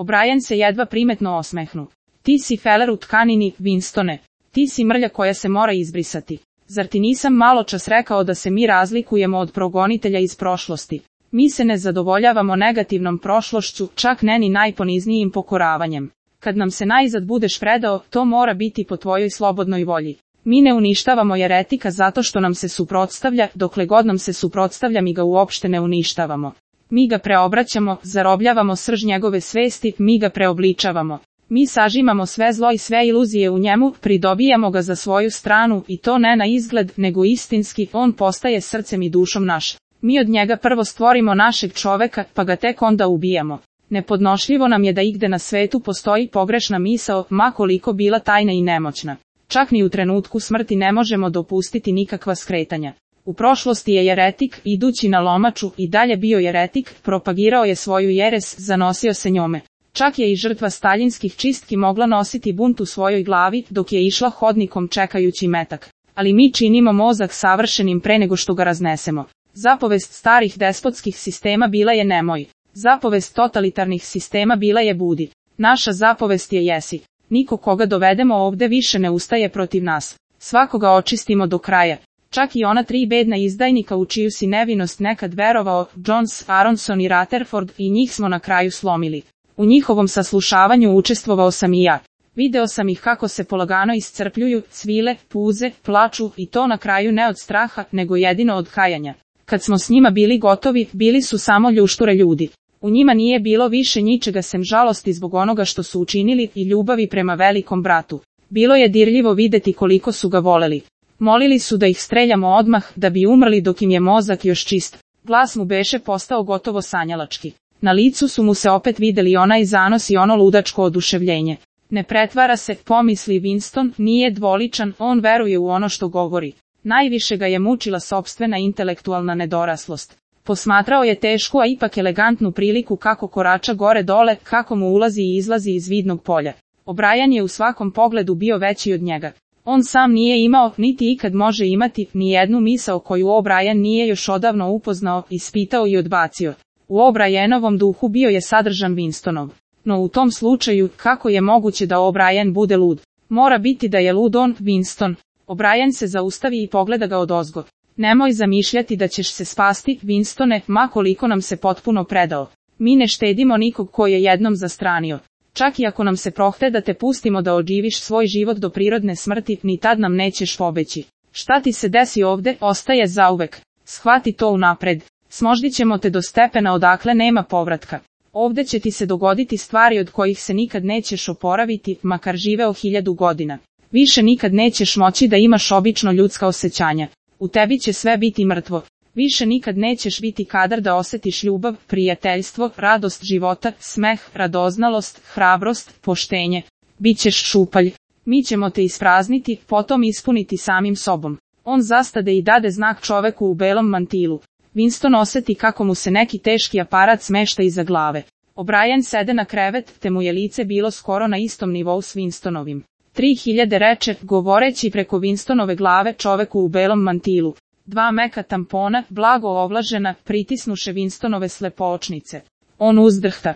O'Brien se jedva primetno osmehnu. Ti si feler u tkanini, Winstone. Ti si mrlja koja se mora izbrisati. Zar ti nisam malo čas rekao da se mi razlikujemo od progonitelja iz prošlosti? Mi se ne zadovoljavamo negativnom prošlošću, čak ne ni najponiznijim pokoravanjem. Kad nam se najzad budeš predao, to mora biti po tvojoj slobodnoj volji. Mi ne uništavamo jeretika zato što nam se suprotstavlja, dokle god nam se suprotstavlja mi ga uopšte ne uništavamo. Mi ga preobraćamo, zarobljavamo srž njegove svesti, mi ga preobličavamo. Mi sažimamo sve zlo i sve iluzije u njemu, pridobijamo ga za svoju stranu i to ne na izgled, nego istinski, on postaje srcem i dušom naš. Mi od njega prvo stvorimo našeg čoveka, pa ga tek onda ubijamo. Nepodnošljivo nam je da igde na svetu postoji pogrešna misao, ma koliko bila tajna i nemoćna. Čak ni u trenutku smrti ne možemo dopustiti nikakva skretanja. U prošlosti je jeretik, idući na lomaču, i dalje bio jeretik, propagirao je svoju jeres, zanosio se njome. Čak je i žrtva staljinskih čistki mogla nositi bunt u svojoj glavi, dok je išla hodnikom čekajući metak. Ali mi činimo mozak savršenim pre nego što ga raznesemo. Zapovest starih despotskih sistema bila je nemoj. Zapovest totalitarnih sistema bila je budi. Naša zapovest je jesi. Niko koga dovedemo ovde više ne ustaje protiv nas. Svakoga očistimo do kraja. Čak i ona 3 bedna izdajnika u čiju si nevinost nekad verovao, Jones, Aronson i Rutherford, i njih smo na kraju slomili. U njihovom saslušavanju učestvovao sam i ja. Video sam ih kako se polagano iscrpljuju, cvile, puze, plaču, i to na kraju ne od straha, nego jedino od kajanja. Kad smo s njima bili gotovi, bili su samo ljušture ljudi. U njima nije bilo više ničega sem žalosti zbog onoga što su učinili i ljubavi prema velikom bratu. Bilo je dirljivo videti koliko su ga voleli. Molili su da ih streljamo odmah, da bi umrli dok im je mozak još čist. Glas mu beše postao gotovo sanjalački. Na licu su mu se opet videli onaj zanos i ono ludačko oduševljenje. Ne pretvara se, pomisli Winston, nije dvoličan, on veruje u ono što govori. Najviše ga je mučila sopstvena intelektualna nedoraslost. Posmatrao je tešku a ipak elegantnu priliku kako korača gore dole, kako mu ulazi i izlazi iz vidnog polja. O'Brien je u svakom pogledu bio veći od njega. On sam nije imao, niti ikad može imati, ni jednu misao koju O'Brien nije još odavno upoznao, ispitao i odbacio. U O'Brienovom duhu bio je sadržan Winstonov. No u tom slučaju, kako je moguće da O'Brien bude lud? Mora biti da je lud on, Winston. O'Brien se zaustavi i pogleda ga odozgo. Nemoj zamišljati da ćeš se spasti, Winstone, ma koliko nam se potpuno predao. Mi ne štedimo nikog ko je jednom zastranio. Čak i ako nam se prohte da te pustimo da odživiš svoj život do prirodne smrti, ni tad nam nećeš pobeći. Šta ti se desi ovde, ostaje zauvek. Shvati to unapred. Smoždit ćemo te do stepena odakle nema povratka. Ovde će ti se dogoditi stvari od kojih se nikad nećeš oporaviti, makar živeo 1000 godina. Više nikad nećeš moći da imaš obično ljudska osjećanja. U tebi će sve biti mrtvo. Više nikad nećeš biti kadar da osjetiš ljubav, prijateljstvo, radost života, smeh, radoznalost, hrabrost, poštenje. Bićeš šupalj. Mi ćemo te isprazniti, potom ispuniti samim sobom. On zastade i dade znak čoveku u belom mantilu. Winston osjeti kako mu se neki teški aparat smešta iza glave. O'Brien sede na krevet, te mu je lice bilo skoro na istom nivou s Winstonovim. 3000 reče, govoreći preko Winstonove glave čoveku u belom mantilu. 2 meka tampona, blago ovlažena, pritisnuše Winstonove slepoočnice. On uzdrhta.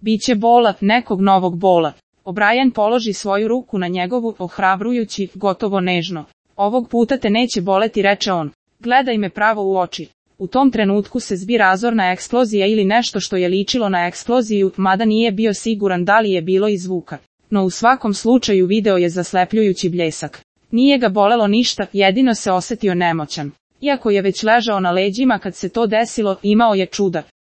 Biće bola, nekog novog bola. O'Brien položi svoju ruku na njegovu, ohrabrujući, gotovo nežno. Ovog puta te neće boleti, reče on. Gledaj me pravo u oči. U tom trenutku se zbi razorna eksplozija ili nešto što je ličilo na eksploziju, mada nije bio siguran da li je bilo i zvuka. No u svakom slučaju video je zaslepljujući bljesak. Nije ga bolelo ništa, jedino se osjetio nemoćan. Iako je već ležao na leđima kad se to desilo, imao je čuda.